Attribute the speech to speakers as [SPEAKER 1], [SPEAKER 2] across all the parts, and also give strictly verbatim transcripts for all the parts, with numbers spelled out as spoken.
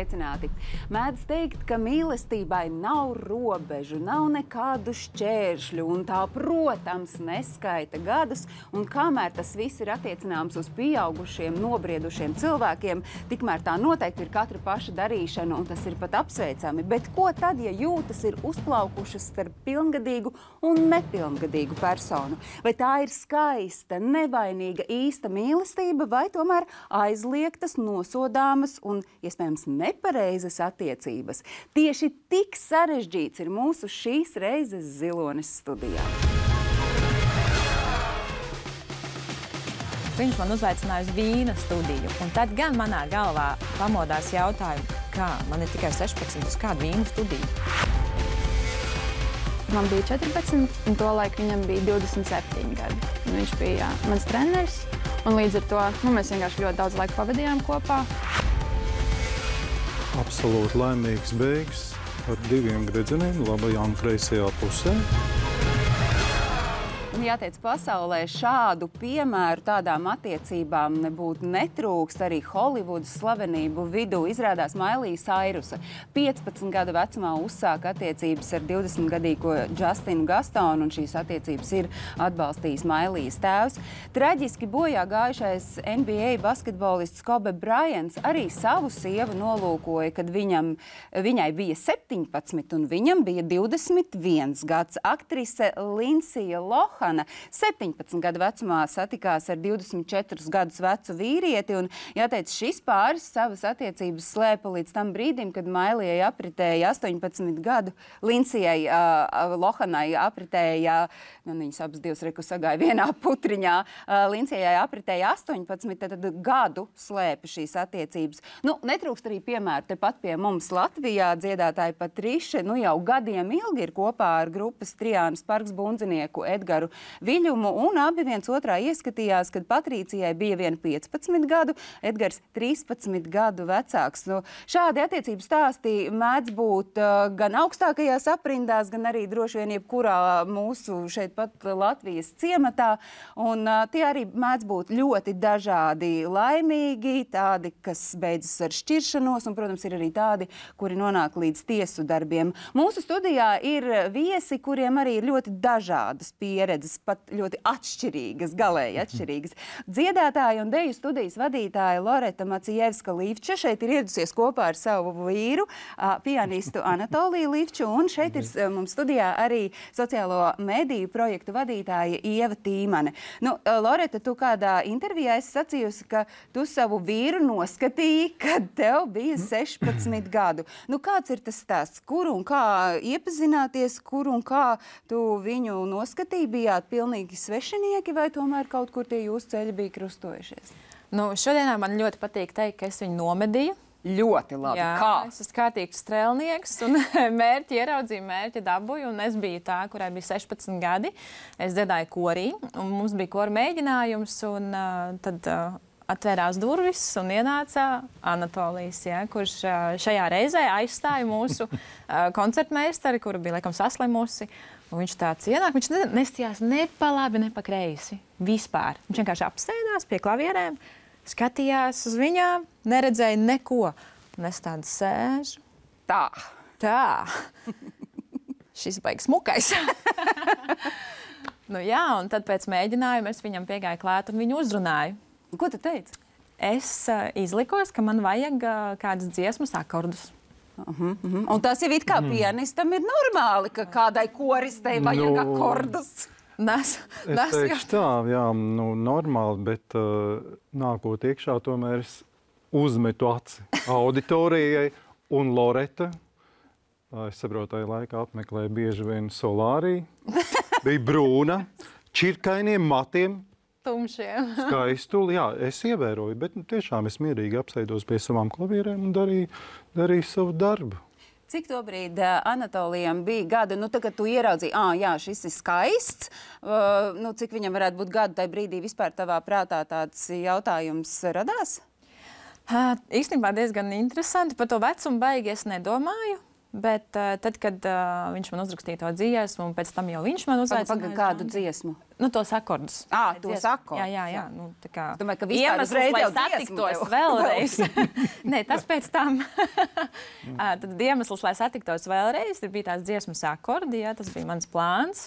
[SPEAKER 1] sveicināti! Mēdz teikt, ka mīlestībai nav robežu, nav nekādu šķēršļu, un tā, protams, neskaita gadus, un kamēr tas viss ir attiecināms uz pieaugušiem, nobriedušiem cilvēkiem, tikmēr tā noteikti ir katra paša darīšana, un tas ir pat apsveicami. Bet ko tad, ja jūtas ir uzplaukušas starp pilngadīgu un nepilngadīgu personu? Vai tā ir skaista, nevainīga, īsta mīlestība, vai tomēr aizliegtas, nosodāmas un, iespējams, nepareizas attiecības? Tieši tik sarežģīts ir mūsu šīs reizes Zilonis studijā.
[SPEAKER 2] Viņš man uzaicināja uz vīna studiju, un tad gan manā galvā pamodās jautājumu, kā man ir tikai sešpadsmit, uz kādu vīnu studiju.
[SPEAKER 3] Man bija četrpadsmit, un to laiku viņam bija divdesmit septiņi gadi. Un viņš bija jā, mans treneris, un līdz ar to nu, mēs vienkārši ļoti daudz laika pavadījām kopā.
[SPEAKER 4] Absolūti laimīgs beigas ar diviem gredzeniem, labajā un kreisajā pusē.
[SPEAKER 1] Un jāteic, pasaulē šādu piemēru tādām attiecībām nebūtu netrūkst arī Holivudas slavenību vidū. Izrādās Mailija Sairusa piecpadsmit gadu vecumā uzsāka attiecības ar divdesmitgadīgo Justinu Gastonu, un šīs attiecības ir atbalstījis Mailijas tēvs. Traģiski bojā gājušais N B A basketbolists Kobe Bryants arī savu sievu nolūkoja, kad viņam, viņai bija septiņpadsmit un viņam bija divdesmit viens gads. Aktrise Lindsija Lohan septiņpadsmit gadu vecumā satikās ar divdesmit četrus gadus vecu vīrieti, un jāteic, šis pāris savas attiecības slēpa līdz tam brīdim, kad Mailijai apritēja astoņpadsmit gadu, Lindsijai uh, Lohanai apritēja, nu, viņas abas divas reku sagāja vienā putriņā, uh, Lindsijai apritēja astoņpadsmit, tad gadu slēpa šīs attiecības. Nu, netrūkst arī piemēru tepat pie mums Latvijā dziedātāja Patriša, nu jau gadiem ilgi ir kopā ar grupas Trijānas Parks bundzinieku Edgaru Viļumu, un abi viens otrā ieskatījās, kad Patricijai bija vien piecpadsmit gadu, Edgars trīspadsmit gadu vecāks. Nu, šādi attiecības stāstī mēdz būt uh, gan augstākajās aprindās, gan arī droši vien jebkurā mūsu šeit pat Latvijas ciematā, un uh, tie arī mēdz būt ļoti dažādi, laimīgi, tādi, kas beidzas ar šķiršanos, un, protams, ir arī tādi, kuri nonāk līdz tiesu darbiem. Mūsu studijā ir viesi, kuriem arī ir ļoti dažādas pieredzes, pat ļoti atšķirīgas, galēji atšķirīgas. Dziedātāja un deju studijas vadītāja Loreta Macijevska-Līvča šeit ir ieradusies kopā ar savu vīru, pianistu Anatoliju Līvču, un šeit ir mums studijā arī sociālo mediju projektu vadītāja Ieva Tīmane. Nu, Loreta, tu kādā intervijā esi sacījusi, ka tu savu vīru noskatīji, kad tev bija sešpadsmit gadu. Nu, kāds ir tas stāsts? Kur un kā iepazināties, kur un kā tu viņu noskatīji? Bijāt pilnīgi svešinieki, vai tomēr kaut kur tie jūsu ceļi bija krustojušies?
[SPEAKER 2] Nu, šodienā man ļoti patīk teikt, ka es viņu nomedīju.
[SPEAKER 1] Ļoti labi.
[SPEAKER 2] Jā,
[SPEAKER 1] kā?
[SPEAKER 2] Es esmu kārtīgs strēlnieks, un mērķi ieraudzīju, mērķi dabūju, un es biju tā, kurai bija sešpadsmit gadi. Es dziedāju korī, un mums bija kora mēģinājums, un uh, tad uh, atvērās durvis un ienāca Anatolijs, ja, kurš uh, šajā reizē aizstāja mūsu uh, koncertmeistari, kura bija, laikam, saslimusi. Un viņš tāds ienāk, viņš nestījās ne pa labi, ne pa kreisi. Vispār. Viņš vienkārši apsēdās pie klavierēm, skatījās uz viņām, neredzēja neko. Un es tādu sēžu.
[SPEAKER 1] Tā.
[SPEAKER 2] Tā. Šis baigs smukais. Nu jā, un tad pēc mēģinājuma es viņam piegāju klāt un viņu uzrunāju.
[SPEAKER 1] Ko tu teici?
[SPEAKER 2] Es uh, izlikos, ka man vajag uh, kādas dziesmas akordus.
[SPEAKER 1] Uh-huh, uh-huh. Un tas jau it kā pianistam ir normāli, ka kādai koristei vajag
[SPEAKER 4] Nu,
[SPEAKER 1] akordus.
[SPEAKER 2] Nes,
[SPEAKER 4] Es
[SPEAKER 2] nes,
[SPEAKER 4] teikšu tā, jā, nu, normāli, bet uh, nākot iekšā, tomēr es uzmetu aci auditorijai, un Loreta, uh, es saprotu, tajā laikā apmeklēja bieži vien Solāriju, bija brūna, čirkainiem matiem,
[SPEAKER 2] tumšiem.
[SPEAKER 4] skaistuli, jā, es ievēroju, bet nu, tiešām es mierīgi apsēdos pie savām klavierēm un darīju, darīju savu darbu.
[SPEAKER 1] Cik tobrīd uh, Anatolijam bija gada, nu tagad tu ieraudzīji, ā, jā, šis ir skaists, uh, nu cik viņam varētu būt gada, tai brīdī vispār tavā prātā tāds jautājums radās?
[SPEAKER 2] Uh, īstenībā diezgan interesanti, par to vecumu baigi es nedomāju. Bet uh, tad, kad uh, viņš man uzrakstīja to dziesmu, un pēc tam jau viņš man uzaicināja.
[SPEAKER 1] Paga, kādu dziesmu?
[SPEAKER 2] Nu, tos akordus.
[SPEAKER 1] Ā, tos akordus.
[SPEAKER 2] Jā, jā, jā. Nu, tā kā
[SPEAKER 1] Es domāju, ka vispār
[SPEAKER 2] iemesls,
[SPEAKER 1] uzreiz
[SPEAKER 2] lai
[SPEAKER 1] jau dziesmu
[SPEAKER 2] satiktos
[SPEAKER 1] tev.
[SPEAKER 2] vēlreiz. Nē, tas pēc tam. Ā, Tad iemesls, lai satiktos vēlreiz, ir bija tās dziesmas akordi, jā, tas bija mans plāns.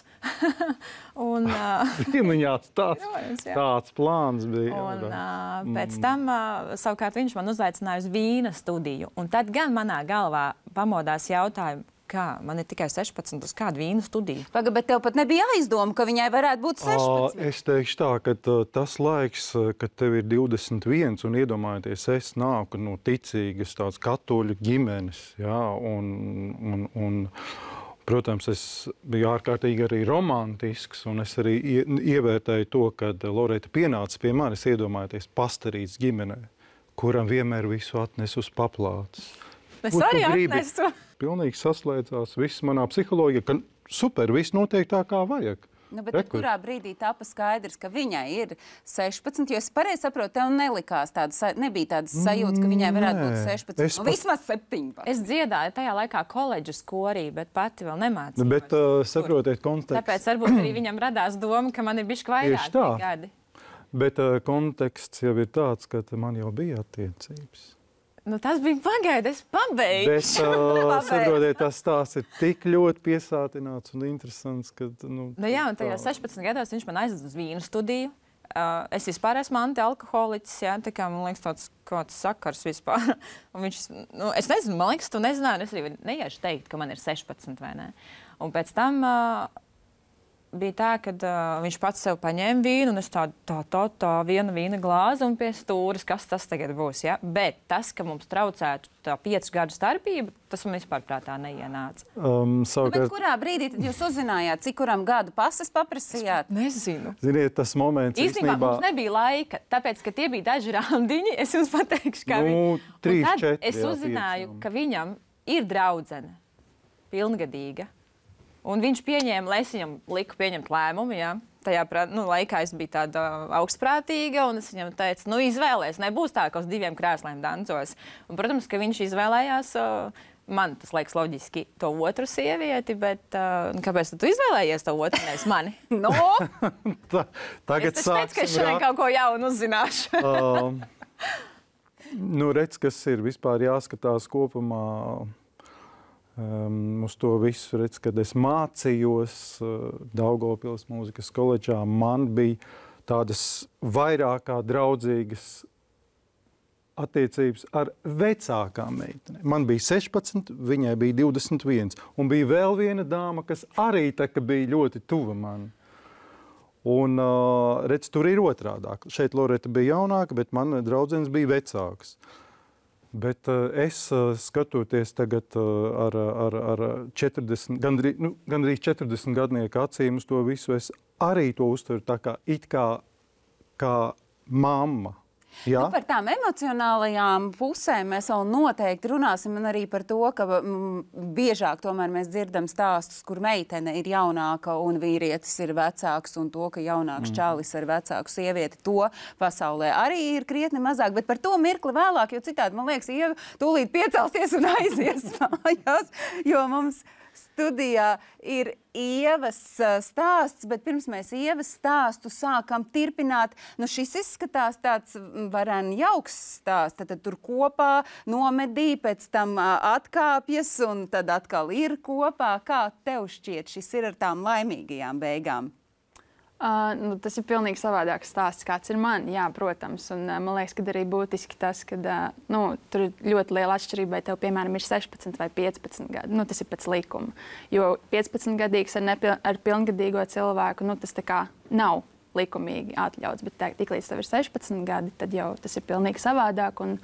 [SPEAKER 2] Un, ā,
[SPEAKER 4] Piemiņāts tāds,
[SPEAKER 2] Protams, jā.
[SPEAKER 4] tāds plāns bija.
[SPEAKER 2] Un,
[SPEAKER 4] jā.
[SPEAKER 2] uh, pēc tam uh, savukārt viņš man uzaicināja uz vīna studiju. Un tad gan manā galvā pamodās jautājumu, kā man ir tikai sešpadsmit, uz kādu vīnu studiju.
[SPEAKER 1] Paga, bet tev pat nebija aizdoma, ka viņai varētu būt
[SPEAKER 4] Ā,
[SPEAKER 1] sešpadsmit.
[SPEAKER 4] Es teikšu tā, ka tā, tas laiks, kad tev ir divdesmit viens un iedomājieties, es nāku no ticīgas tāds katoļu ģimenes, jā, un, un, un, protams, es biju ārkārtīgi arī romantisks, un es arī ie, ievērtēju to, kad Loreta pienāca pie manis, iedomājieties, pastarīts ģimenē, kuram vienmēr visu atnes uz paplātes.
[SPEAKER 2] Es
[SPEAKER 4] Ko tu
[SPEAKER 2] arī
[SPEAKER 4] gribi?
[SPEAKER 2] atnesu.
[SPEAKER 4] Pilnīgi saslēdzās viss manā psiholoģijā, ka super, viss notiek tā, kā vajag.
[SPEAKER 1] Nu, bet tad,
[SPEAKER 4] Rekur.
[SPEAKER 1] kurā brīdī tāpa skaidrs, ka viņai ir sešpadsmit, jo es pareizi saprotu, tev nelikās tāda, sa- nebija tādas sajūtas, ka viņai varētu būt
[SPEAKER 4] Nē,
[SPEAKER 1] sešpadsmit,
[SPEAKER 4] es
[SPEAKER 1] nu,
[SPEAKER 4] pat-
[SPEAKER 1] vismaz septiņpadsmit.
[SPEAKER 2] Es dziedāju tajā laikā koledžas korī, bet pati vēl nemācījos.
[SPEAKER 4] Bet uh, saprotiet kontekstu.
[SPEAKER 2] Tāpēc varbūt arī viņam radās doma, ka man ir bišķi vairāk
[SPEAKER 4] Tieši tā.
[SPEAKER 2] tie gadi.
[SPEAKER 4] Bet uh, konteksts jau ir tāds, ka man jau bija attiecības.
[SPEAKER 2] Nu, tas bija pagaidi, es pabeigšu.
[SPEAKER 4] Bet, uh, saprotiet, tas stāsts ir tik ļoti piesātināts un interesants, ka, nu,
[SPEAKER 2] Nu, jā, un tajā
[SPEAKER 4] tā.
[SPEAKER 2] sešpadsmit gados viņš man aizved uz vīnu studiju. Uh, es vispār esmu antialkoholiķis, jā, tā kā man liekas tāds kāds sakars vispār. Un viņš, nu, es nezinu, man liekas, tu nezināji, un es arī neiešu teikt, ka man ir sešpadsmit vai ne. Un pēc tam uh, bija tā, ka uh, viņš pats sev paņēma vīnu, un es tādu tā, tā, tā viena vīna glāzi un pie stūres, kas tas tagad būs, ja? Bet tas, ka mums traucētu tā piecu gadu starpība, tas man vispār prātā neienāca.
[SPEAKER 4] Um,
[SPEAKER 1] Nu, bet
[SPEAKER 4] savukārt,
[SPEAKER 1] kurā brīdī tad jūs uzzinājāt, cik kuram gadu pases paprasījāt?
[SPEAKER 2] Nezinu.
[SPEAKER 4] ziniet, tas moments
[SPEAKER 2] Īstenībā
[SPEAKER 4] īstenībā...
[SPEAKER 2] mums nebija laika, tāpēc, ka tie bija daži randiņi. Es jums pateikšu, kā
[SPEAKER 4] Nu,
[SPEAKER 2] viņi.
[SPEAKER 4] trīs,
[SPEAKER 2] Un tad
[SPEAKER 4] četri,
[SPEAKER 2] es
[SPEAKER 4] jā,
[SPEAKER 2] uzzināju,
[SPEAKER 4] pieci, jā.
[SPEAKER 2] ka viņam ir draudzene, pilngadīga. Un viņš pieņēma, lai es viņam liku pieņemt lēmumu. Jā. Tajā prā- nu, laikā es biju tāda augstprātīga, un es viņam teicu, nu, izvēlēties, nebūs tā, ka uz diviem krēsliem dancos. Un, protams, ka viņš izvēlējās. Uh, Man tas liekas loģiski, to otru sievieti, bet uh, kāpēc tu izvēlējies to otru, nevis mani?
[SPEAKER 1] No,
[SPEAKER 4] Ta, tagad
[SPEAKER 2] Es taču teicu, ka es
[SPEAKER 4] sāksim
[SPEAKER 2] šodien
[SPEAKER 4] rā-
[SPEAKER 2] kaut ko jaunu uzzināšu.
[SPEAKER 4] Um, nu, redz, kas ir vispār jāskatās kopumā um, uz to visu. Redz, kad es mācījos uh, Daugavpils mūzikas koledžā, man bija tādas vairāk kā draudzīgas attiecības ar vecākām meitenēm. Man bija sešpadsmit, viņai bija divdesmit viens. Un bija vēl viena dāma, kas arī tā, ka bija ļoti tuva man. Un, uh, redz, tur ir otrādāk. Šeit Loreta bija jaunāka, bet man draudzenes bija vecākas. Bet uh, es uh, skatoties tagad uh, ar, ar, ar četrdesmit, gandrīz, nu, gandrīz četrdesmit gadnieku acīm uz to visu, es arī to uztveru tā kā it kā, kā mamma. Jā?
[SPEAKER 1] Nu, par tām emocionālajām pusēm mēs vēl noteikti runāsim, un arī par to, ka mm, biežāk tomēr mēs dzirdam stāstus, kur meitene ir jaunāka un vīrietis ir vecāks, un to, ka jaunāks mm. čalis ir vecāku sievieti, to pasaulē arī ir krietni mazāk, bet par to mirkli vēlāk, jo citādi, man liekas, Ieva tūlīt piecelsies un aizies mājās, jo mums studijā ir Ievas uh, stāsts, bet pirms mēs Ievas stāstu sākam tirpināt, nu šis izskatās tāds mm, varen jauks stāsts, tad, tad tur kopā nomedī, pēc tam uh, atkāpjas un tad atkal ir kopā. Kā tev šķiet, šis ir ar tām laimīgajām beigām?
[SPEAKER 3] Uh, nu, tas ir pilnīgi savādāks stāsts, kāds ir man. Jā, protams, un uh, man liekas, ka arī būtiski tas, ka uh, nu, tur ir ļoti liela atšķirība, vai tev, piemēram, ir sešpadsmit vai piecpadsmit gadi. Nu, tas ir pēc likuma. Jo piecpadsmitgadīgs ar, nepil ar pilngadīgo cilvēku, nu, tas tā kā nav likumīgi atļauts, bet tā, tiklīdz tev ir sešpadsmit gadi, tad jau tas ir pilnīgi savādāk. Un,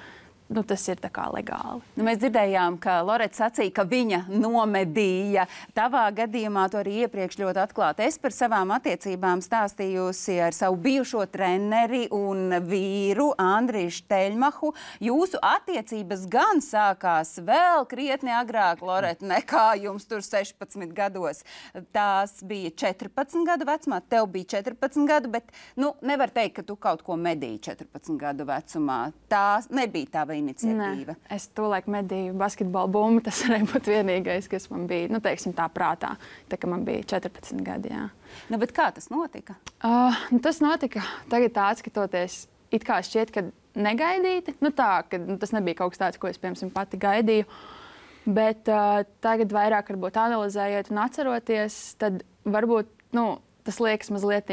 [SPEAKER 3] Nu, tas ir tā kā legāli.
[SPEAKER 1] Nu, mēs dzirdējām, ka Loreta sacīja, ka viņa nomedīja. Tavā gadījumā to arī iepriekš ļoti atklāti. Es par savām attiecībām stāstījusi ar savu bijušo treneri un vīru Andriju Šteļmahu. Jūsu attiecības gan sākās vēl krietni agrāk, Loreta, nekā jums tur sešpadsmit gados. Tās bija četrpadsmit gadu vecumā, tev bija četrpadsmit gadu, bet nu, nevar teikt, ka tu kaut ko medīji četrpadsmit gadu vecumā. Tā nebija tava iniciatīva?
[SPEAKER 3] Nē, es tolaik medīju basketbolu bumbu. Tas varēja būt vienīgais, kas man bija, nu, teiksim, tā prātā, tā, ka man bija četrpadsmit gadi. Jā.
[SPEAKER 1] Nu, bet kā tas notika?
[SPEAKER 3] Uh, nu, tas notika tagad tā atskatoties, it kā šķiet, ka negaidīti. Nu, tā, ka, nu, tas nebija kaut kas tāds, ko es, piemēram, pati gaidīju. Bet uh, tagad vairāk varbūt analizējot un atceroties, tad varbūt nu, tas liekas mazliet,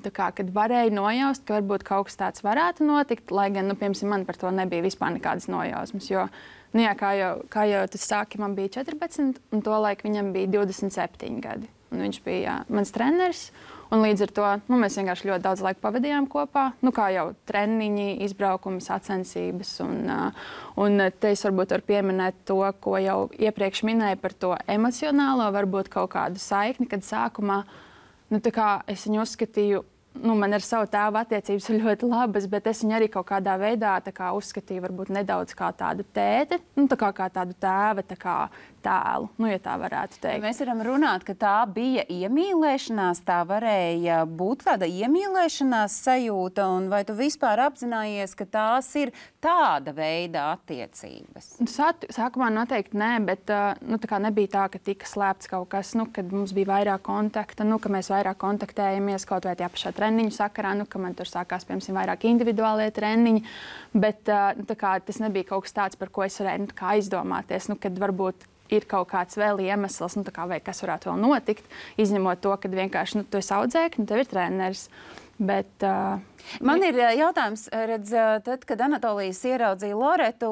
[SPEAKER 3] tā kā, kad varēja nojaust, ka varbūt kaut kas tāds varētu notikt, lai gan, nu, piemēram, man par to nebija vispār nekādas nojausmas. Jo, nu, jā, kā jau, kā jau tas sāki, man bija četrpadsmit, un tolaik viņam bija divdesmit septiņi gadi. Un viņš bija jā, mans treneris. Un līdz ar to nu, mēs vienkārši ļoti daudz laika pavadījām kopā. Nu, kā jau treniņi, izbraukumi, sacensības. Un, uh, un te es varbūt varu pieminēt to, ko jau iepriekš minēju par to emocionālo, varbūt kaut kādu saikni, kad sākumā nu, tā kā es viņu uzskatīju. Nu, man ar savu tēvu attiecības ir ļoti labas, bet es viņu arī kaut kādā veidā kā, uzskatīju varbūt nedaudz kā tādu tēti, nu, tā kā, kā tādu tēva tā kā, tēlu, nu, ja tā varētu teikt.
[SPEAKER 1] Mēs varam runāt, ka tā bija iemīlēšanās, tā varēja būt tāda iemīlēšanās sajūta, un vai tu vispār apzinājies, ka tās ir tāda veida attiecības?
[SPEAKER 3] Sāt, sākumā noteikti nē, bet uh, nu, tā kā nebija tā, ka tika slēpts kaut kas, nu, kad mums bija vairāk kontakta, nu, ka mēs vairāk kontaktējamies kaut vai tajā pašā treniņu sakarā, nu, ka man tur sākās, piemēram, vairāk individuālie treniņi, bet uh, nu, tā kā, tas nebija kaut kas tāds, par ko es varēju nu, aizdomāties, nu, kad varbūt ir kaut kāds vēl iemesls, nu, kā, vai kas varētu vēl notikt, izņemot to, ka vienkārši nu, tu esi audzēknis, nu, tev ir treneris. Bet, uh,
[SPEAKER 1] Man ir jautājums, redz, tad, kad Anatolijas ieraudzīja Loretu,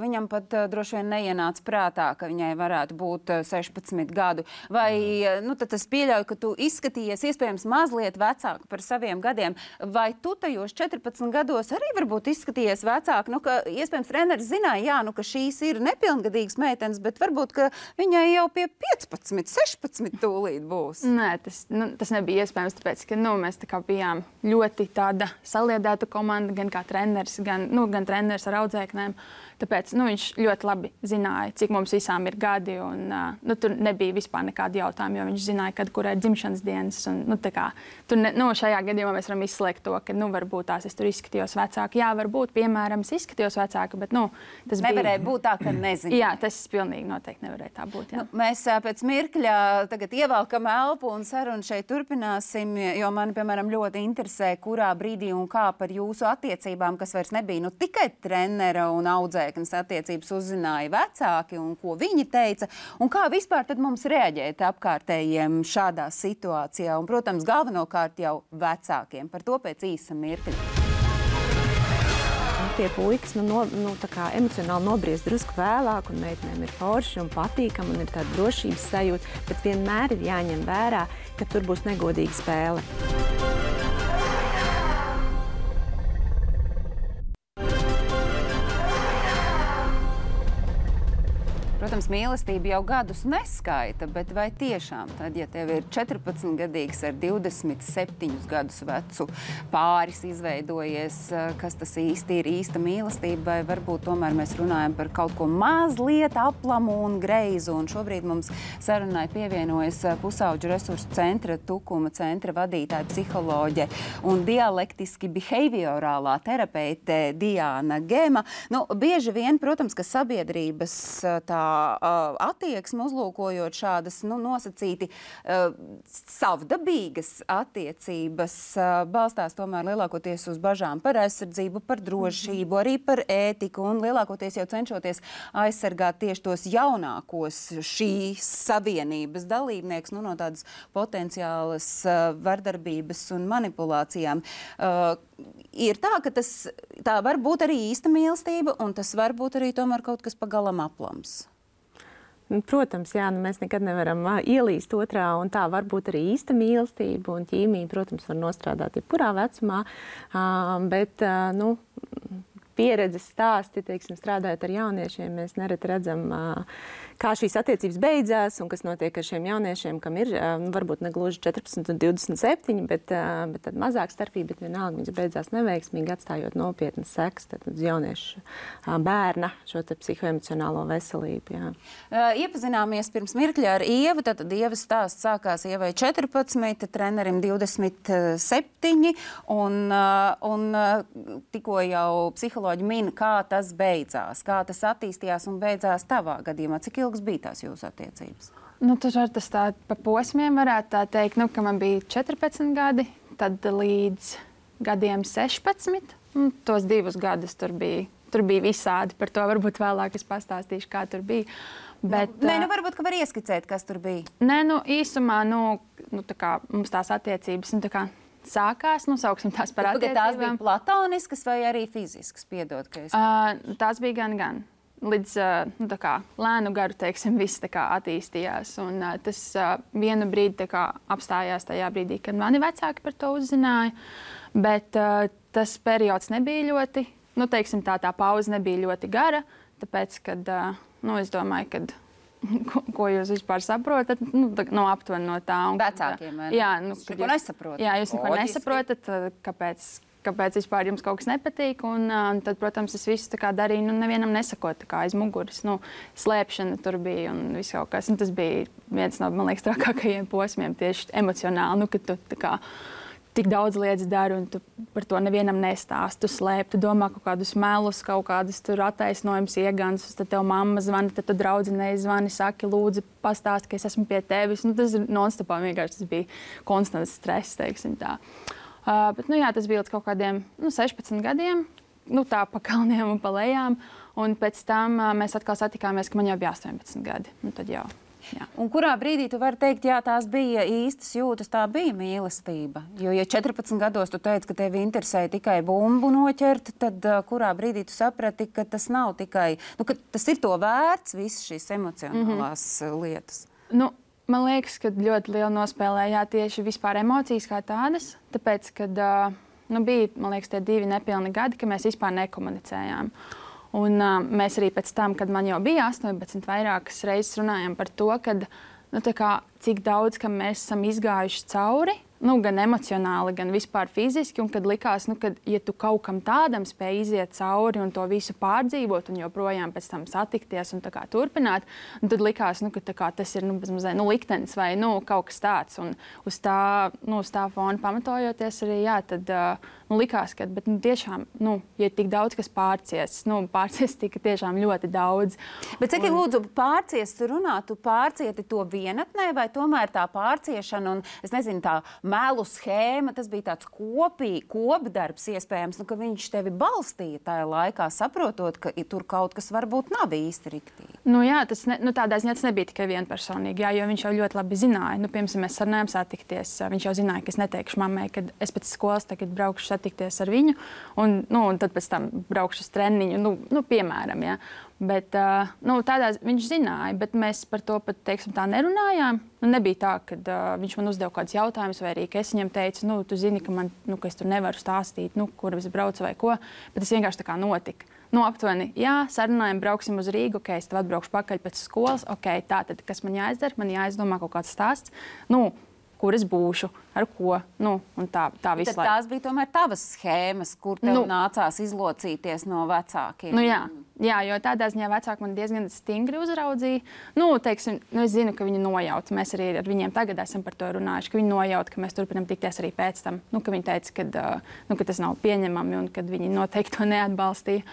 [SPEAKER 1] viņam pat droši vien neienāca prātā, ka viņai varētu būt sešpadsmit gadu. Vai nu, tas pieļauj, ka tu izskatījies iespējams mazliet vecāku par saviem gadiem, vai tu tajos četrpadsmit gados arī varbūt izskatījies vecāku? Nu, ka, iespējams, treneris zināja, jā, nu, ka šīs ir nepilngadīgas meitenes, bet varbūt, ka viņai jau pie piecpadsmit, sešpadsmit tūlīt būs.
[SPEAKER 3] Nē, tas, nu, tas nebija iespējams, tāpēc, ka nu, mēs tā kā bijām ļoti tāda saliedēta komanda, gan kā treneris, gan, nu, gan treneris ar audzēknēm. Tāpēc nu, viņš ļoti labi zināja, cik mums visām ir gadi. Un, uh, nu, tur nebija vispār nekāda jautājuma, jo viņš zināja, kad kurai ir dzimšanas dienas. Un, nu, kā, tur ne, nu, šajā gadījumā mēs varam izslēgt to, ka nu, varbūt tās es tur izskatījos vecāka. Jā, varbūt, piemēram, es izskatījos vecāka, bet nu, tas
[SPEAKER 1] nevarēja
[SPEAKER 3] bija...
[SPEAKER 1] būt tā, ka nezinu.
[SPEAKER 3] Jā, tas pilnīgi noteikti nevarēja tā būt. Jā.
[SPEAKER 1] Nu, mēs pēc mirkļa tagad ievelkam elpu un sarunu šeit turpināsim, jo mani, piemēram, ļoti interesē, kurā brīdī un kā par jūsu attiecībām, kas vairs nebija nu, tikai trenera un audzēknes attiecības, uzzināja vecāki un ko viņi teica, un kā vispār tad mums reaģēt apkārtējiem šādā situācijā, un, protams, galvenokārt jau vecākiem. Par to pēc īsa mirkļa.
[SPEAKER 5] Tie puikas nu, no, nu, tā kā emocionāli nobriest drusku vēlāk, un meitenēm ir forši un patīkami, un ir tāda drošības sajūta, bet vienmēr ir jāņem vērā, ka tur būs negodīga spēle.
[SPEAKER 1] Protams, mīlestība jau gadus neskaita, bet vai tiešām tad, ja tev ir četrpadsmitgadīgs ar divdesmit septiņus gadus vecu pāris izveidojies, kas tas īsti ir īsta mīlestība, vai varbūt tomēr mēs runājam par kaut ko mazliet aplamu un greizu, un šobrīd mums sarunai pievienojas Pusauģu resursu centra, Tukuma centra vadītāja psiholoģe un dialektiski behaviorālā terapeite Diana Gema. Nu, bieži vien, protams, ka sabiedrības tā attieksmi uzlūkojot šādas nu, nosacīti uh, savdabīgas attiecības uh, balstās tomēr lielākoties uz bažām par aizsardzību, par drošību, arī par ētiku un lielākoties jau cenšoties aizsargāt tieši tos jaunākos šīs savienības dalībnieks nu, no tādas potenciālas uh, vardarbības un manipulācijām. Uh, ir tā, ka tas tā var būt arī īsta mīlestība un tas var būt arī tomēr kaut kas pagalam aplams.
[SPEAKER 5] Protams, jā, nu mēs nekad nevaram uh, ielīst otrā, un tā var būt arī īsta mīlestība, un ķīmija, protams, var nostrādāt jebkurā vecumā, uh, bet, uh, nu, pieredzes stāsti, teiksim, strādājot ar jauniešiem, mēs nereti redzam, uh, kā šīs attiecības beidzās, un kas notiek ar šiem jauniešiem, kam ir, uh, varbūt ne gluži četrpadsmit un divdesmit septiņi, bet, uh, bet tad mazāk starpība, bet vienalga viņas beidzās neveiksmīgi, atstājot nopietnas sekas, tad uz jauniešu uh, bērna šo te psihoemocionālo veselību, jā.
[SPEAKER 1] Uh, iepazināmies pirms mirkļa ar Ievu, tad Ievas stāsts sākās Ievai četrpadsmit, trenerim divdesmit septiņi, un, uh, un uh, tikko jau psiholoģi psiholoģi min, kā tas beidzās, kā tas attīstījās un beidzās tavā gadījumā. Cik ilgas bija tās jūsu attiecības?
[SPEAKER 3] Nu, tur var tas tā pa posmiem varētu tā teikt, nu, ka man bija četrpadsmit gadi, tad līdz gadiem sešpadsmit. Un tos divus gadus tur bija, tur bija visādi. Par to varbūt vēlāk es pastāstīšu, kā tur bija. Bet,
[SPEAKER 1] Nē, nu varbūt, ka var ieskicēt, kas tur bija.
[SPEAKER 3] Nē, nu īsumā, nu, nu tā kā mums tās attiecības, nu tā kā sākās, nu sauksim tās par
[SPEAKER 1] Bet,
[SPEAKER 3] attiecībām.
[SPEAKER 1] tās bija platoniskas vai arī fiziskas, piedod, ka es...
[SPEAKER 3] Uh, tās bija gan, gan. Līdz uh, nu, tā kā lēnu garu, teiksim, viss tā kā attīstījās. Un uh, tas uh, vienu brīdi tā kā apstājās tajā brīdī, kad mani vecāki par to uzzināja. Bet uh, tas periods nebija ļoti, nu teiksim tā, tā pauze nebija ļoti gara, tāpēc, kad, uh, nu es domāju, kad, ko, ko jūs vispār saprotat, nu, tā, no aptuveni no tā. Un,
[SPEAKER 1] Vecākiem, vai ne?
[SPEAKER 3] Jā, nu,
[SPEAKER 1] Jūs
[SPEAKER 3] kad
[SPEAKER 1] neko
[SPEAKER 3] jūs,
[SPEAKER 1] nesaprotat.
[SPEAKER 3] jā, jūs neko
[SPEAKER 1] Loģiski.
[SPEAKER 3] nesaprotat, tad kāpēc, kāpēc vispār jums kaut kas nepatīk. Un, un tad, protams, es visu tā kā darīju, nu, nevienam nesakot tā kā aiz muguras. Nu, slēpšana tur bija un viss kaut kas. Un tas bija viens no, man liekas, trakākajiem posmiem tieši emocionāli, nu, kad tu tā kā tik daudz lietas dari, un tu par to nevienam nestāsti. Tu slēp, tu domā kaut kādus melus, kaut kādus attaisnojumus, iegansus. Tad tev mamma zvana, tad tu draudzenei zvani, saki, lūdzu, pastāsti, ka es esmu pie tevis. Nu, tas ir non-stopā vienkārši. Tas bija konstants stress, teiksim tā. Uh, bet, nu, jā, tas bija līdz kaut kādiem nu, sešpadsmit gadiem, nu, tā pa kalniem un pa lejām. Un pēc tam uh, mēs atkal satikāmies, ka man jau bija astoņpadsmit gadi. Nu, tad jau. Jā.
[SPEAKER 1] Un kurā brīdī tu vari teikt, jā, tās bija īstas jūtas, tā bija mīlestība? Jo, ja četrpadsmit gados tu teici, ka tevi interesēja tikai bumbu noķert, tad uh, kurā brīdī tu saprati, ka tas nav tikai, nu, ka tas ir to vērts, visas šīs emocionālās mm-hmm. lietas?
[SPEAKER 3] Nu, man liekas, ka ļoti liela nospēlējā tieši vispār emocijas kā tādas, tāpēc, kad uh, nu, bija, man liekas, tie divi nepilni gadi, ka mēs vispār nekomunicējām. Un, uh, mēs arī pēc tam, kad man jau bija astoņpadsmit, vairākas reizes runājām par to, kad, nu, tā kā, cik daudz mēs esam izgājuši cauri, nu, gan emocionāli, gan vispār fiziski. Un kad likās, nu, kad, ja tu kaut kam tādam spēj iziet cauri un to visu pārdzīvot, un joprojām pēc tam satikties un tā kā turpināt, tad likās, nu, ka tā kā, tas ir nu, mazliet nu, liktenis vai nu, kaut kas tāds. Un uz tā, nu, uz tā fona pamatojoties arī, jā, tad uh, nu, likās, ka bet, nu, tiešām, nu, ja tik daudz kas pārcies, nu, pārcies tika tiešām ļoti daudz.
[SPEAKER 1] Bet cik
[SPEAKER 3] un...
[SPEAKER 1] lūdzu pārcies tu runā, tu pārcieti to vienatnē vai tomēr tā pārciešana un, es nezinu, tā melu schēma, tas bija tāds kopī, kopdarbs iespējams, nu, ka viņš tevi balstīja tajā laikā, saprotot, ka tur kaut kas varbūt nav īsti riktīgi.
[SPEAKER 3] Nu, jā, tas ne, nu, tādā ziņā tas nebija tikai vienpersonīgi, jā, jo viņš jau ļoti labi zināja. Nu, piemēram, mēs sarunājām satikties. Viņš jau zināja, ka es neteikšu mammai, kad es pēc skolas tagad braukšu satikties ar viņu, un, nu, un tad pēc tam braukšu uz treniņu, nu, nu piemēram, jā. Bet, uh, nu, tādā, viņš zināja, bet mēs par to pat, teiksim, tā nerunājām. Nu, nebija tā, ka uh, viņš man uzdeva kādus jautājumus, vai arī es viņam teicu, nu, tu zini, ka, man, nu, ka es tur nevaru stāstīt, nu, kur es braucu vai ko. Bet tas vienkārši tā kā notika. Nu, aptuveni, jā, sarunājam, brauksim uz Rīgu, ok, es tev atbraukšu pakaļ pēc skolas, ok, tā tad, kas man jāizdara, man jāizdomā kaut kāds stāsts. Nu, kur es būšu, ar ko, nu, un tā, tā visu laiku.
[SPEAKER 1] Tās bija tomēr tavas schēmas, kur tev
[SPEAKER 3] nu,
[SPEAKER 1] nācās izlocīties no vecākiem.
[SPEAKER 3] Nu, jā, jā, jo tādā ziņā vecāki man diezgan stingri uzraudzīja. Nu, teiksim, nu, es zinu, ka viņi nojauta. Mēs arī ar viņiem tagad esam par to runājuši, ka viņi nojauta, ka mēs turpinām tikties arī pēc tam. Nu, ka viņi teica, ka, nu, ka tas nav pieņemami un ka viņi noteikti to neatbalstīja.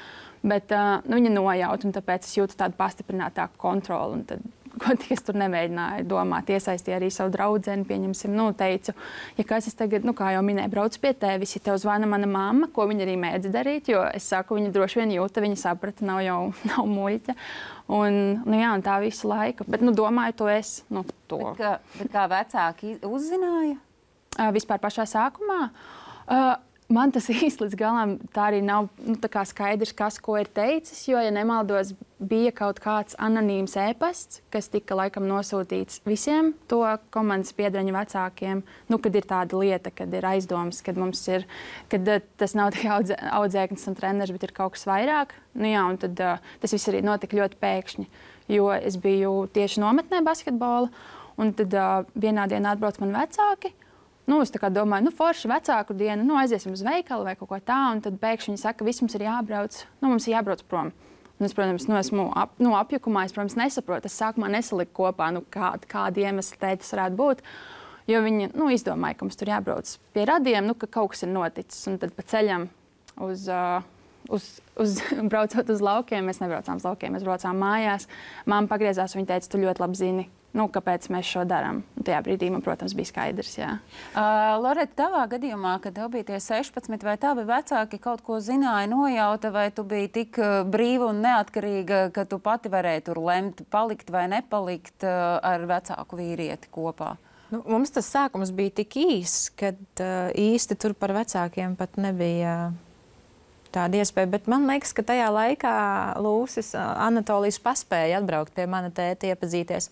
[SPEAKER 3] Bet uh, nu, viņi nojauta, un tāpēc es jūtu tādu pastiprinātāku kontroli. Un tad, ko tik es tur nemēģināju domāt, iesaistīju arī savu draudzeni, pieņemsim, nu, teicu, ja kas es tagad, nu, kā jau minēju, braucu pie tevis, ja tev zvana mana mamma, ko viņa arī mēdz darīt, jo es saku, viņa droši vien jūta, viņa saprata, nav jau nav muļķa. Un, nu, jā, un tā visu laiku. Bet, nu, domāju, to es, nu, to.
[SPEAKER 1] Bet kā, bet kā vecāki uzzināja?
[SPEAKER 3] Uh, vispār pašā sākumā. Uh, Man tas īsti līdz galam tā arī nav nu, tā kā skaidrs, kas ko ir teicis, jo, ja nemaldos, bija kaut kāds anonīms e-pasts, kas tika laikam nosūtīts visiem to komandas piedaņu vecākiem, nu, kad ir tāda lieta, kad ir aizdomas, kad mums ir, kad uh, tas nav tikai audzē, audzēknis un treneris, bet ir kaut kas vairāk. Nu, jā, un tad uh, tas viss arī notika ļoti pēkšņi, jo es biju tieši nometnē basketbola, un tad uh, vienā dienā atbrauc mani vecāki. Nu, es domāju, nu, forši vecāku dienu, nu, aiziesim uz veikalu vai kaut ko tādu. Un tad pēkšņi viņi saka, viss mums ir jābrauc, nu, mums ir jābrauc prom. Un es, protams, nu, esmu ap, nu, apjukumā, es, protams, nesaprotu. Es sākumā nesaliku kopā, nu, kā, kāda iemesla dēļ tas varētu būt. Jo viņi nu, izdomāja, ka mums tur jābrauc pie radiem, nu, ka kaut kas ir noticis. Un tad pa ceļam uz, uh, uz, uz, braucot uz laukiem, mēs nebraucām uz laukiem, mēs braucām mājās. Māma pagriezās, viņa teica, tu ļoti labi zini, nu, kāpēc mēs šo darām. Tajā brīdī man, protams, bija skaidrs. Jā.
[SPEAKER 1] Uh, Loreta, tavā gadījumā, kad tev bija tie sešpadsmit, vai tavi vecāki kaut ko zināja, nojauta, vai tu biji tik uh, brīva un neatkarīga, ka tu pati varēji tur lemt, palikt vai nepalikt uh, ar vecāku vīrieti kopā?
[SPEAKER 2] Nu, mums tas sākums bija tik īss, kad uh, īsti tur par vecākiem pat nebija uh, tāda iespēja. Bet man liekas, ka tajā laikā Lūsis, uh, Anatolijas paspēja atbraukt pie mana tēta, iepazīties.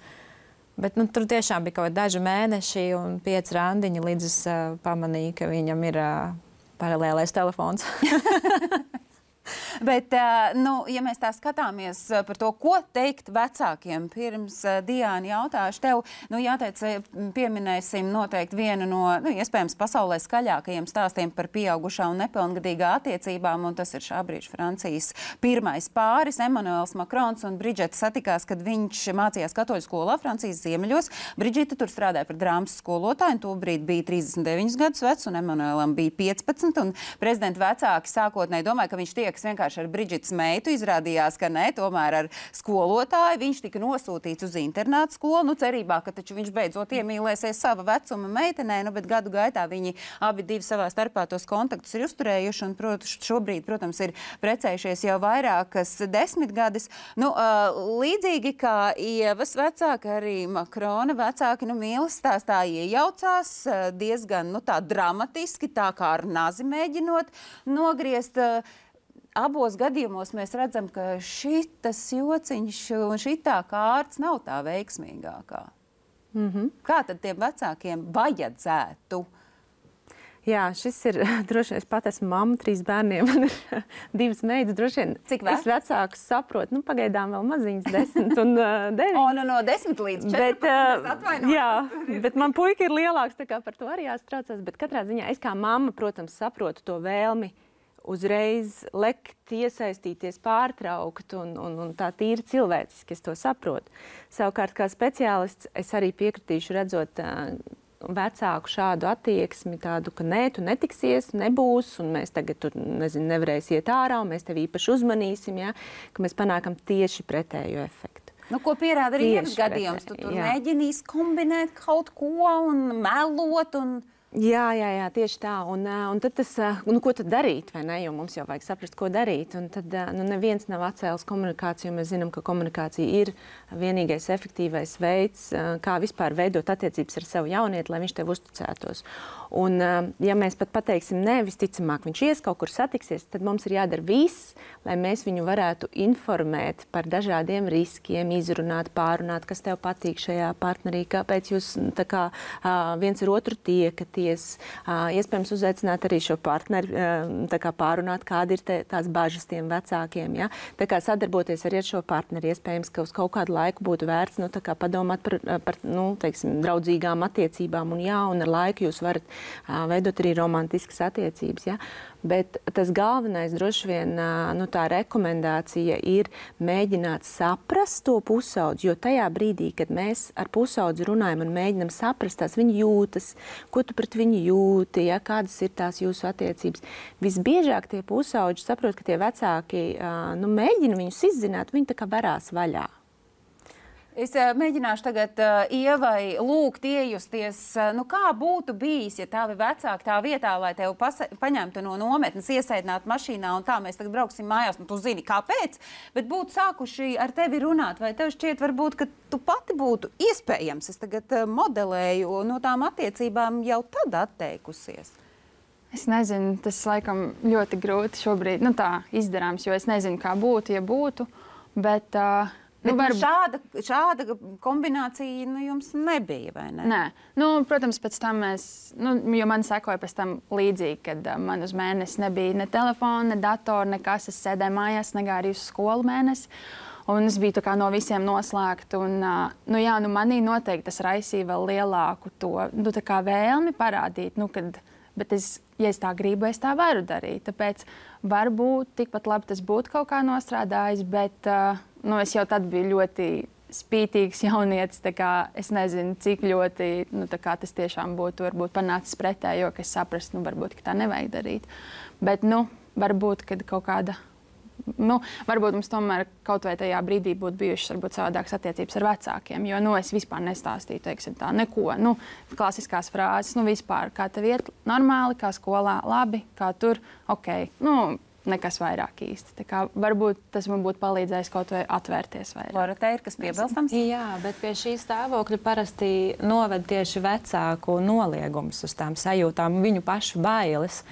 [SPEAKER 2] Bet nu, tur tiešām bija kaut kādi daži mēneši un pieci randiņi, līdz es uh, pamanīju, ka viņam ir uh, paralēlais telefons.
[SPEAKER 1] Bet, nu, ja mēs tā skatāmies par to, ko teikt vecākiem, pirms Diāna jautāšu tev, nu, jāteic, pieminēsim noteikti vienu no, nu, iespējams, pasaulē skaļākajiem stāstiem par pieaugušā un nepilngadīgā attiecībām, un tas ir šā brīža Francijas pirmais pāris. Emanuels Makrons un Bridžeta satikās, kad viņš mācījās katoļu skolā Francijas ziemeļos. Bridžeta tur strādāja par drāmas skolotāju, un tobrīd bija trīsdesmit deviņus gadus vecs, un Emanuelam bija piecpadsmit, un prezidenta vecāki sākotnēji domāja, ka viņš tiek vienkārši ar Bridžitas meitu, izrādījās, ka ne, tomēr ar skolotāju. Viņš tika nosūtīts uz internātu skolu, nu cerībā, ka taču viņš beidzot iemīlēsies sava vecuma meitenē, nu, bet gadu gaitā viņi abi divi savā starpā tos kontaktus ir uzturējuši, un protams, šobrīd, protams, ir precējušies jau vairākas desmitgades. Nu, līdzīgi kā Ievas vecāki, arī Makrona vecāki, nu, mīlas stāstā iejaucās diezgan, nu, tā dramatiski, tā kā ar nazi mēģinot nogriezt. Abos gadījumos mēs redzam, ka šitas jociņš un šitā kārts nav tā veiksmīgākā. Mm-hmm. Kā tad tiem vecākiem vajadzētu?
[SPEAKER 5] Jā, šis ir droši vien, es pat esmu mamma, trīs bērniem, man ir divas meitas, droši vien.
[SPEAKER 1] Cik veci?
[SPEAKER 5] Es vecākus saprotu, nu pagaidām vēl maziņas, desmit un uh, deviņi.
[SPEAKER 1] O, nu no desmit līdz četrpadsmit,
[SPEAKER 5] uh, jā, bet man puika ir lielāks, tā kā par to arī jāstraucās, bet katrā ziņā es kā mamma, protams, saprotu to vēlmi uzreiz lekt, iesaistīties, pārtraukt, un, un, un tā tīri cilvēciski es to saprotu. Savukārt, kā speciālists, es arī piekritīšu redzot uh, vecāku šādu attieksmi, tādu, ka nē, tu netiksies, nebūs, un mēs tagad tur, nezinu, nevarēs iet ārā, un mēs tevi īpaši uzmanīsim, ja, ka mēs panākam tieši pretējo efektu.
[SPEAKER 1] Nu, ko pierāda arī Ievas gadījums? Tu tur mēģinīs kombinēt kaut ko un melot un...
[SPEAKER 5] Jā, jā, jā, tieši tā. Un, un tad tas, nu, ko tad darīt, vai ne? Jo mums jau vajag saprast, ko darīt. Un tad, nu, neviens nav atcēlis komunikāciju. Mēs zinām, ka komunikācija ir vienīgais efektīvais veids, kā vispār veidot attiecības ar savu jaunieti, lai viņš tev uzticētos. Un, ja mēs pat pateiksim, nē, visticamāk, viņš ies kaut kur satiksies, tad mums ir jādara viss, lai mēs viņu varētu informēt par dažādiem riskiem, izrunāt, pārunāt, kas tev patīk šajā partnerī, kāpēc jūs tā kā viens ar otru tiekaties, iespējams uzaicināt arī šo partneri, tā kā pārunāt, kādi ir te, tās bažas tiem vecākiem, ja? Tā kā sadarboties arī ar šo partneri, iespējams, ka uz kaut kādu laiku būtu vērts, nu, tā kā padomāt par, par nu, teiksim, draudzīgām attiecībām, un jā, un ar laiku jūs varat veidot arī romantiskas attiecības. Ja? Bet tas galvenais droši vien, nu, tā rekomendācija ir mēģināt saprast to pusaudzi, jo tajā brīdī, kad mēs ar pusaudzi runājam un mēģinam saprast tās viņa jūtas, ko tu pret viņu jūti, ja? Kādas ir tās jūsu attiecības. Visbiežāk tie pusauģi saprot, ka tie vecāki nu, mēģina viņus izzināt, viņi tā kā verās vaļā.
[SPEAKER 1] Es uh, mēģināšu tagad uh, Ievai lūgt iejusties, uh, nu kā būtu bijis, ja tavi vecāki tā vietā, lai tevi paņemtu no nometnes, iesēdinātu mašīnā un tā mēs tagad brauksim mājās, nu tu zini, kāpēc, bet būtu sākuši ar tevi runāt, vai tev šķiet varbūt, ka tu pati būtu iespējams, es tagad uh, modelēju no tām attiecībām jau tad atteikusies?
[SPEAKER 3] Es nezinu, tas laikam ļoti grūti šobrīd, nu tā izdarāms, jo es nezinu, kā būtu, ja būtu, bet... Uh,
[SPEAKER 1] Bet nu, var... šāda, šāda kombinācija nu, jums nebija, vai ne?
[SPEAKER 3] Nē. Nu, protams, pēc tam mēs, nu, jo man sekoja pēc tam līdzīgi, kad uh, man uz mēnesi nebija ne telefona, ne datora, nekas. Es sēdēju mājās, negāju arī uz skolu mēnesi. Un es biju tā kā no visiem noslēgta. Un, uh, nu, jā, nu, manī noteikti tas raisīja vēl lielāku to, nu, tā kā vēlmi parādīt, nu, kad, bet es, ja es tā gribu, es tā varu darīt. Tāpēc varbūt tikpat labi tas būtu kaut kā nostrādājis, bet... Uh, Nu, es jau tad biju ļoti spītīgs jaunietis, tā kā es nezinu, cik ļoti nu, tā kā tas tiešām būtu varbūt panācis pretējo, ka es saprastu, nu, varbūt, ka tā nevajag darīt. Bet, nu, varbūt, kad kaut kāda, nu, varbūt mums tomēr kaut vai tajā brīdī būtu bijušas varbūt savādākas attiecības ar vecākiem, jo, nu, es vispār nestāstīju, teiksim tā, neko, nu, klasiskās frāzes, nu, vispār, kā tev iet normāli, kā skolā, labi, kā tur, ok, nu, nekas vairāk īsti. Tā kā varbūt tas man būtu palīdzējis kaut vai atvērties vairāk.
[SPEAKER 1] Loreta, ir kas piebilstams?
[SPEAKER 2] Jā, bet pie šī stāvokļa parasti noved tieši vecāku noliegums uz tām sajūtām, viņu pašu bailes,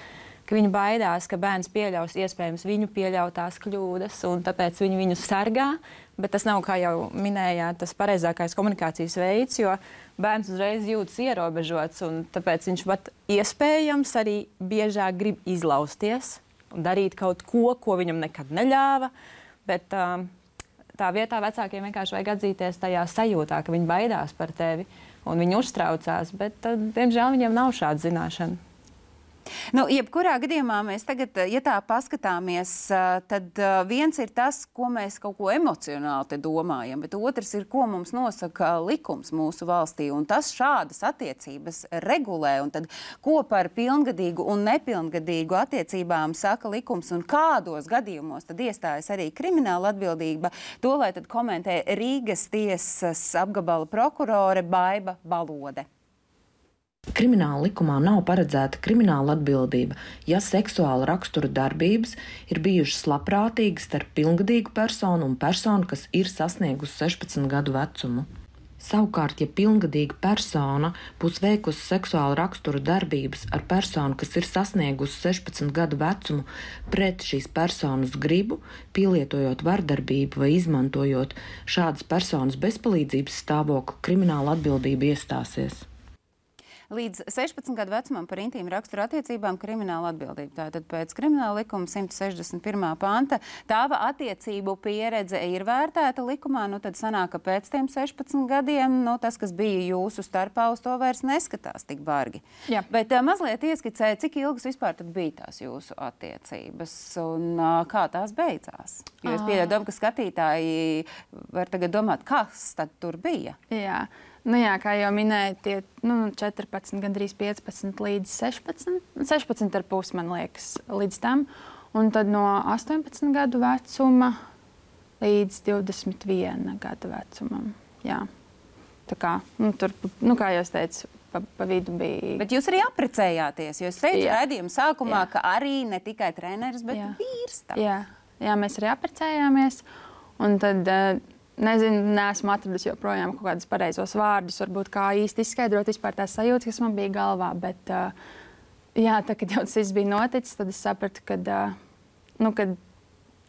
[SPEAKER 2] ka viņi baidās, ka bērns pieļaus iespējams viņu pieļautās kļūdas, un tāpēc viņi viņu sargā, bet tas nav, kā jau minējāt, tas pareizākais komunikācijas veids, jo bērns uzreiz jūtas ierobežots, un tāpēc viņš pat iespējams arī biežāk grib izlausties, darīt kaut ko, ko viņam nekad neļāva, bet um, tā vietā vecākiem vienkārši vajag atzīties tajā sajūtā, ka viņi baidās par tevi un viņi uztraucās, bet, uh, diemžēl, viņiem nav šāda zināšana.
[SPEAKER 1] Nu, jebkurā gadījumā mēs tagad, ja tā paskatāmies, tad viens ir tas, ko mēs kaut ko emocionāli te domājam, bet otrs ir, ko mums nosaka likums mūsu valstī, un tas šādas attiecības regulē, un tad ko par pilngadīgu un nepilngadīgu attiecībām saka likums, un kādos gadījumos tad iestājas arī krimināla atbildība, to lai tad komentē Rīgas tiesas apgabala prokurore Baiba Balode.
[SPEAKER 6] Krimināla likumā nav paredzēta krimināla atbildība, ja seksuāla rakstura darbības ir bijušas labprātīgas starp pilngadīgu personu un personu, kas ir sasniegusi sešpadsmit gadu vecumu. Savukārt, ja pilngadīga persona būs veikusi seksuāla rakstura darbības ar personu, kas ir sasniegusi sešpadsmit gadu vecumu pret šīs personas gribu, pielietojot vardarbību vai izmantojot šādas personas bezpalīdzības stāvokli, krimināla atbildība iestāsies.
[SPEAKER 1] Līdz sešpadsmit gadu vecumam par intīmu raksturu attiecībām krimināla atbildība. Tātad pēc krimināla likuma simt sešdesmit pirmā panta tāva attiecību pieredze ir vērtēta likumā, nu tad sanāk, ka pēc tiem sešpadsmit gadiem, nu tas, kas bija jūsu starpā, uz to vairs neskatās tik bargi.
[SPEAKER 3] Jā.
[SPEAKER 1] Bet uh, mazliet ieskicēja, cik ilgas vispār tad bija tās jūsu attiecības un uh, kā tās beidzās. Jo es pieļauju domu, ka skatītāji var tagad domāt, kas tad tur bija.
[SPEAKER 3] Jā. Nu jā, kā jau minēju, tie nu, četrpadsmit, gandrīz piecpadsmit līdz sešpadsmit, sešpadsmit ar pus, man liekas, līdz tam. Un tad no astoņpadsmit gadu vecuma līdz divdesmit viena gada vecumam. Jā. Tā kā, nu, tur, nu, kā jau es teicu, pa, pa vidu bija...
[SPEAKER 1] Bet jūs arī apprecējāties, jo es teicu
[SPEAKER 3] Jā.
[SPEAKER 1] raidījuma sākumā,
[SPEAKER 3] Jā.
[SPEAKER 1] ka arī ne tikai treneris, bet
[SPEAKER 3] Jā.
[SPEAKER 1] vīrs.
[SPEAKER 3] Jā. Jā, mēs arī apprecējāmies. Un tad... Uh, Nezinu, neesmu atradusi joprojām kaut kādus pareizos vārdus, varbūt kā īsti izskaidrot vispār tās sajūtas, kas man bija galvā. Bet, uh, jā, tā, kad jau tas viss bija noticis, tad es sapratu, ka uh, nu,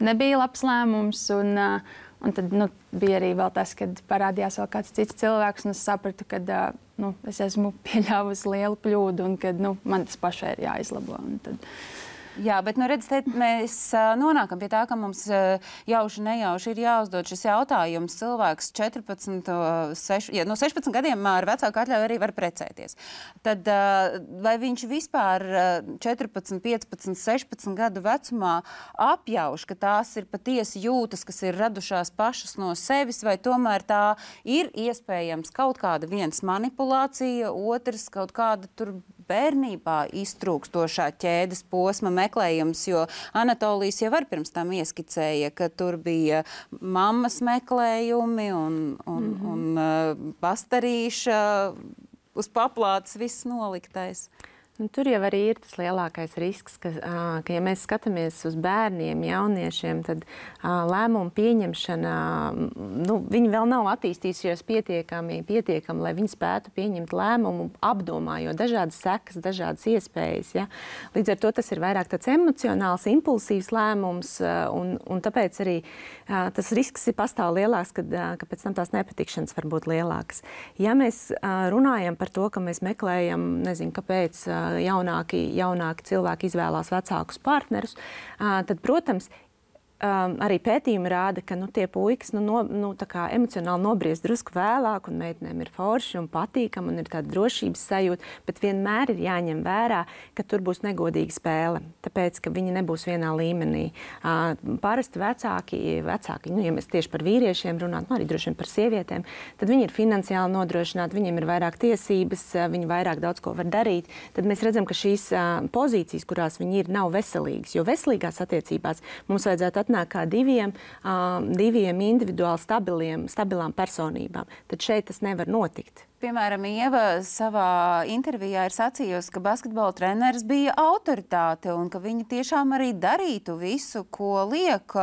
[SPEAKER 3] nebija labs lēmums. Un, uh, un tad nu, bija arī vēl tas, kad parādījās vēl kāds cits cilvēks, un es sapratu, ka uh, nu, es esmu pieļāvusi lielu kļūdu un ka nu, man tas pašai ir jāizlabo. Un tad,
[SPEAKER 1] Jā, bet nu, redz, te mēs uh, nonākam pie tā, ka mums uh, jauši nejauši ir jāuzdod šis jautājums. Cilvēks četrpadsmit, seši, ja, no sešpadsmit gadiem ar vecāku atļauju arī var precēties. Tad uh, vai viņš vispār uh, četrpadsmit, piecpadsmit, sešpadsmit gadu vecumā apjauš, ka tās ir patiesi jūtas, kas ir radušās pašas no sevis, vai tomēr tā ir iespējams kaut kāda viens manipulācija, otrs kaut kāda tur bērnībā iztrūkstošā ķēdes posma meklējums, jo Anatolijas jau var pirms tam ieskicēja, ka tur bija mammas meklējumi un, un, mm-hmm. un uh, pastarīša uz paplātes viss noliktais.
[SPEAKER 5] Nu, tur jau arī ir tas lielākais risks, ka, ka ja mēs skatāmies uz bērniem, jauniešiem, tad lēmumu pieņemšana, nu, viņi vēl nav attīstījušies pietiekami, pietiekami, lai viņi spētu pieņemt lēmumu, apdomājot dažādas sekas, dažādas iespējas. Ja? Līdz ar to tas ir vairāk tāds emocionāls, impulsīvs lēmums, un, un tāpēc arī tas risks ir pastāv lielāks, kad, ka pēc tam tās nepatikšanas var būt lielākas. Ja mēs runājam par to, ka mēs meklējam, nezinu, kāpēc jaunāki, jaunāki cilvēki izvēlās vecākus partnerus, tad, protams, Um, arī pētījumi rāda, ka nu, tie puikas nu, no, nu, emocionāli nobriest drusku vēlāk, un meitenēm ir forši un patīkami, un ir tāda drošības sajūta, bet vienmēr ir jāņem vērā, ka tur būs negodīga spēle, tāpēc, ka viņi nebūs vienā līmenī. Uh, parasti vecāki, vecāki nu, ja mēs tieši par vīriešiem runājam, nu, arī droši vien par sievietēm, tad viņi ir finansiāli nodrošināti, viņiem ir vairāk tiesības, viņi vairāk daudz ko var darīt. Tad mēs redzam, ka šīs uh, pozīcijas, kurās viņi ir, nav veselīgas, jo veselīgās attiecībās mums vajadzētu atnāk kā diviem, uh, diviem individuāli stabiliem, stabilām personībām. Tad šeit tas nevar notikt.
[SPEAKER 1] Piemēram, Ieva savā intervijā ir sacījusi, ka basketbola treneris bija autoritāte un ka viņa tiešām arī darītu visu, ko liek.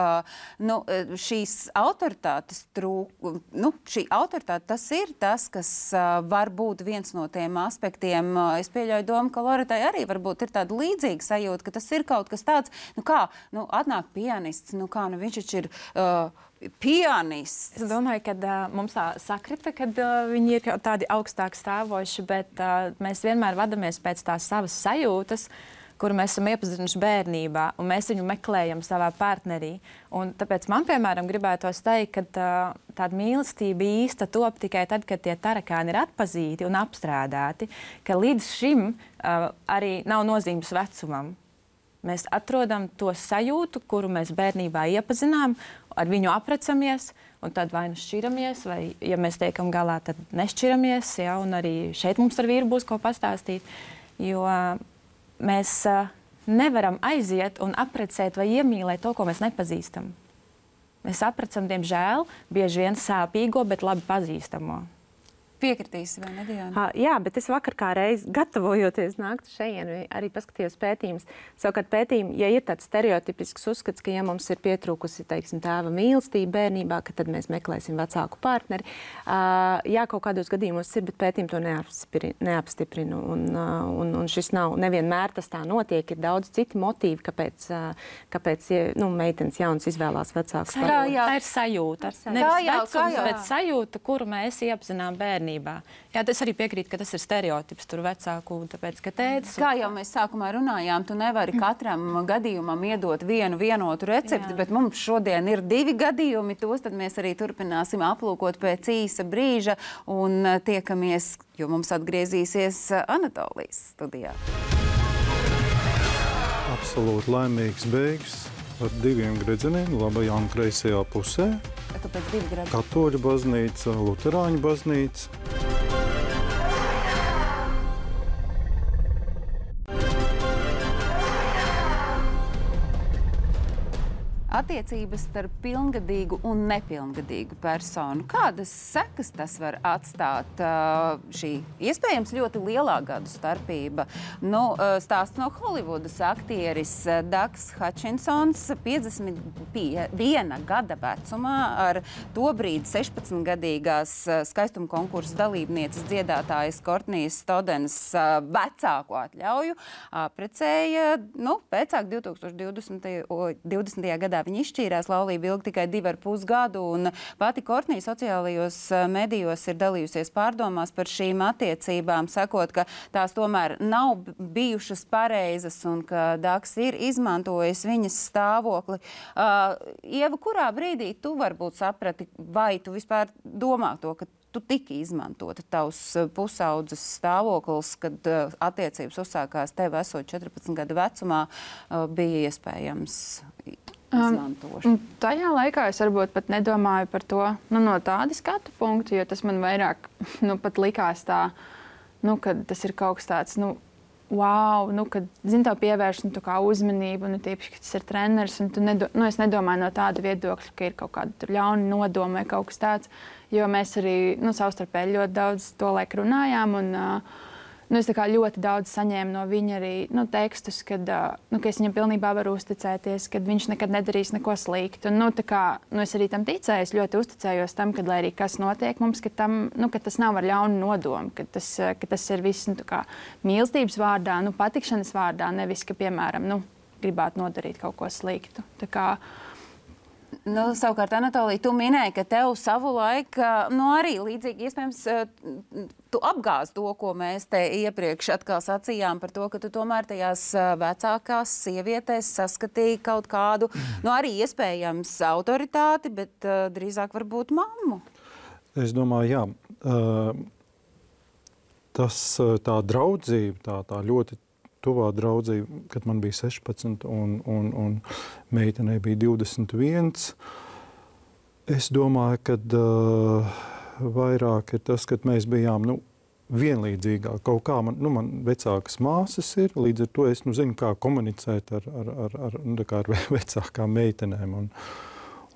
[SPEAKER 1] Nu, šīs autoritātes trūk, nu, šī autoritāte tas ir tas, kas var būt viens no tiem aspektiem. Es pieļauju domu, ka Loretai arī varbūt ir tāda līdzīga sajūta, ka tas ir kaut kas tāds, nu kā, nu, atnāk pianists, nu kā, nu viņš taču ir uh, pianists.
[SPEAKER 2] Es domāju, ka uh, mums tā sakrita, ka uh, viņi ir tādi augstāk stāvoši, bet uh, mēs vienmēr vadamies pēc tās savas sajūtas, kuru mēs esam iepazinuši bērnībā, un mēs viņu meklējam savā partnerī. Un tāpēc man, piemēram, gribētos teikt, ka uh, tāda mīlestība īsta top tikai tad, kad tie tarakāni ir atpazīti un apstrādāti, ka līdz šim uh, arī nav nozīmes vecumam. Mēs atrodam to sajūtu, kuru mēs bērnībā iepazinām, ar viņu aprecamies, un tad vai nu šķiramies, vai, ja mēs tiekam galā, tad nešķiramies, ja, un arī šeit mums ar vīru būs ko pastāstīt, jo mēs uh, nevaram aiziet un aprecēt vai iemīlēt to, ko mēs nepazīstam. Mēs aprecam, diemžēl, bieži vien sāpīgo, bet labi pazīstamo.
[SPEAKER 1] Piekritīsi, vai ne, Diana?
[SPEAKER 5] Uh, jā, bet es vakar kā reiz gatavojoties nākt šeit, arī paskatījos pētījumus. Savukārt pētījumi, ja ir tāds stereotipisks uzskats, ka ja mums ir pietrūkusi, teiksim, tēva mīlestība bērnībā, ka tad mēs meklēsim vecāku partneri. Uh, jā, kaut kādos gadījumos ir, bet pētījumi to neapstiprina. Un, uh, un, un šis nav, nevienmēr tas tā notiek. Ir daudz citi motīvi, kāpēc, uh, kāpēc nu, meitenes jaunas izvēlās vecākus.
[SPEAKER 2] Tā, jā, tā ir sajūta. Nevis vecums, bet sajūta, kuru mēs iepazinām bērnībā. Jā, es arī piekrītu, ka tas ir stereotips tur vecāku, tāpēc, ka tētis...
[SPEAKER 1] Kā jau mēs sākumā runājām, tu nevari katram gadījumam iedot vienu vienotu recepti, jā. Bet mums šodien ir divi gadījumi, tos tad mēs arī turpināsim aplūkot pēc īsa brīža un tiekamies, jo mums atgriezīsies Anatolijas studijā.
[SPEAKER 4] Absolūti laimīgs beigas ar diviem gredzeniem, labajā un kreisajā pusē.
[SPEAKER 1] Kāpēc divi gredzeni?
[SPEAKER 4] Katoļu baznīca, luterāņu baznīca.
[SPEAKER 1] Attiecības starp pilngadīgu un nepilngadīgu personu. Kādas sekas tas var atstāt? Šī iespējams ļoti lielā gadu starpība. Nu, stāsts no Holivudas aktieris Dags Hutchinsons piecdesmit viena gada vecumā ar tobrīd sešpadsmitgadīgās skaistuma konkursa dalībnieces dziedātājas Kortnijas Stodenas vecāku atļauju apprecēja, nu, pēcāk divtūkstoš divdesmitajā gadā. Viņi izšķīrās, laulība ilga tikai divi ar pus gadu, un pati Kortnija sociālajos medijos ir dalījusies pārdomās par šīm attiecībām, sakot, ka tās tomēr nav bijušas pareizas un ka Daks ir izmantojis viņas stāvokli. Uh, Ieva, kurā brīdī tu varbūt saprati, vai tu vispār domā to, ka tu tiki izmantota tavs pusaudzes stāvoklis, kad uh, attiecības uzsākās tev esot četrpadsmit gadu vecumā, uh, bija iespējams izmantošana?
[SPEAKER 3] Um, tajā laikā es varbūt pat nedomāju par to nu, no tāda skatu punkta, jo tas man vairāk nu, pat likās tā, nu, ka tas ir kaut kas tāds, nu, wow, nu, kad, zin, tev pievērš nu, kā uzmanību, nu, tīpaši, ka tas ir treneris, un tu nedo, nu, es nedomāju no tāda viedokļa, ka ir kaut kāda ļauna nodoma vai kaut kas tāds, jo mēs arī, nu, savstarpēji ļoti daudz to laiku runājām, un, uh, nu, es tā kā ļoti daudz saņēmu no viņa arī, nu, tekstus, kad, uh, nu, ka es viņam pilnībā varu uzticēties, kad viņš nekad nedarīs neko sliktu, un, nu, tā kā, nu, es arī tam ticēju, es ļoti uzticējos tam, kad, lai arī kas notiek mums, ka, tam, nu, ka tas nav ar ļaunu nodomu, ka tas, ka tas ir viss, nu, tā kā mīlestības vārdā, nu, patikšanas vārdā, nevis, ka, piemēram, nu, gribētu nodarīt kaut ko sliktu. Tā kā,
[SPEAKER 1] Nu, savukārt, Anatolija, tu minēji, ka tev savu laiku, nu arī līdzīgi, iespējams, tu apgāzi to, ko mēs te iepriekš atkal sacījām par to, ka tu tomēr tajās vecākās sievietēs saskatīji kaut kādu, nu arī iespējams autoritāti, bet uh, drīzāk varbūt mammu.
[SPEAKER 4] Es domāju, jā. Uh, tas tā draudzība, tā, tā ļoti tuvā draudzība, kad man bija sešpadsmit un, un, un meitenei bija divdesmit viens. Es domāju, ka uh, vairāk ir tas, ka mēs bijām nu, vienlīdzīgāk. Kaut kā man, nu, man vecākas māsas ir, līdz ar to es nu, zinu, kā komunicēt ar, ar, ar, ar, nu, kā ar vecākām meitenēm. Un,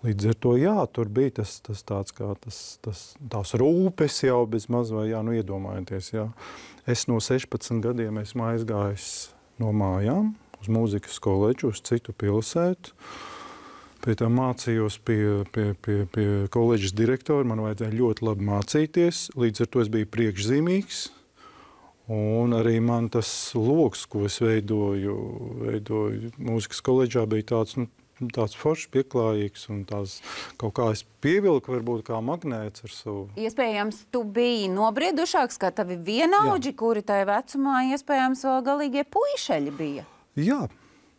[SPEAKER 4] līdz ar to, jā, tur bija tas, tas tāds kā tas, tas, tās rūpes jau bez maz vai, jā, nu iedomājieties, jā. Es no sešpadsmit gadiem esmu aizgājis no mājām uz mūzikas koledžu, uz citu pilsētu. Pēc tam mācījos pie, pie, pie, pie koledžas direktora, man vajadzēja ļoti labi mācīties, līdz ar to es biju priekšzīmīgs. Un arī man tas loks, ko es veidoju, veidoju mūzikas koledžā, bija tāds, nu, tāds foršs, pieklājīgs un tās kaut kā es pievilku varbūt kā magnēts ar savu.
[SPEAKER 1] Iespējams, tu biji nobriedušāks, kā tavi vienaudži, kuri tajā vecumā iespējams vēl galīgie puišeļi bija.
[SPEAKER 4] Jā,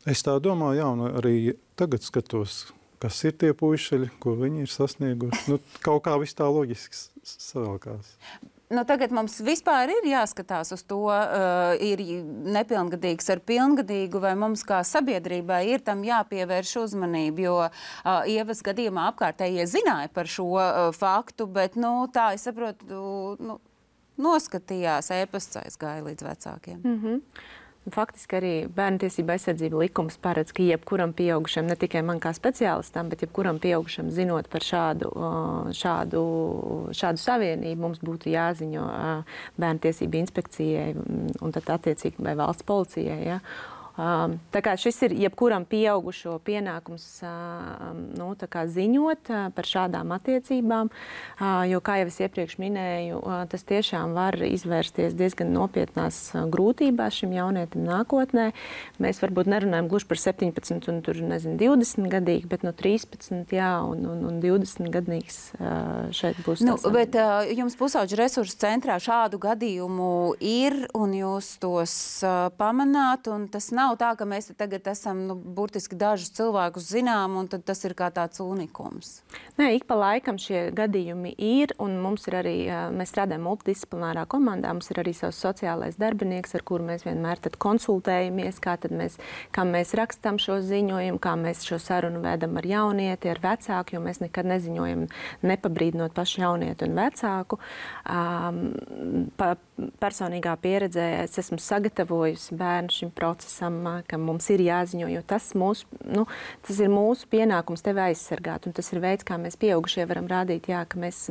[SPEAKER 4] es tā domāju, jā, un arī tagad skatos, kas ir tie puišeļi, ko viņi ir sasnieguši. Nu, kaut kā viss tā loģiski savalkās.
[SPEAKER 1] Nu, tagad mums vispār ir jāskatās uz to, uh, ir nepilngadīgs ar pilngadīgu, vai mums kā sabiedrībai ir tam jāpievērš uzmanību, jo uh, Ievas gadījumā apkārtējie zināja par šo uh, faktu, bet, nu, tā, es saprotu, nu, noskatījās, ēpasts aizgāja līdz vecākiem.
[SPEAKER 5] Mm-hmm. Faktiski arī bērntiesība aizsardzība likums paredz, ka jebkuram pieaugušam, ne tikai man kā speciālistam, bet jebkuram pieaugušam zinot par šādu, šādu, šādu savienību, mums būtu jāziņo bērntiesība inspekcijai un tad attiecīgi vai valsts policijai. Ja? Tā kā šis ir jebkuram pieaugušo pienākums nu, tā kā ziņot par šādām attiecībām, jo, kā jau es iepriekš minēju, tas tiešām var izvērsties diezgan nopietnās grūtībās šim jaunietim nākotnē. Mēs varbūt nerunājam gluži par septiņpadsmit un tur, nezinu, divdesmit gadīgi, bet no trīspadsmit, jā, un, un, un divdesmit gadīgs šeit būs.
[SPEAKER 1] Nu, bet uh, jums pusauģu resursu centrā šādu gadījumu ir, un jūs tos uh, pamanāt, un tas nav tā, ka mēs tagad esam nu, burtiski dažus cilvēkus zinām, un tad tas ir kā tāds unikums.
[SPEAKER 5] Nē, ik pa laikam šie gadījumi ir, un mums ir arī, mēs strādājam multidisciplinārā komandā, mums ir arī savs sociālais darbinieks, ar kuru mēs vienmēr tad konsultējamies, kā tad mēs, kā mēs rakstam šo ziņojumu, kā mēs šo sarunu vedam ar jaunieti, ar vecāku, jo mēs nekad neziņojam nepabrīdinot pašu jaunieti un vecāku. Um, pa, personīgā pieredzē es esmu sagatavojusi bērnu šim procesam, ka mums ir jāziņo, jo tas, mūsu, nu, tas ir mūsu pienākums tevi aizsargāt, un tas ir veids, kā mēs pieaugušie varam rādīt, jā, ka mēs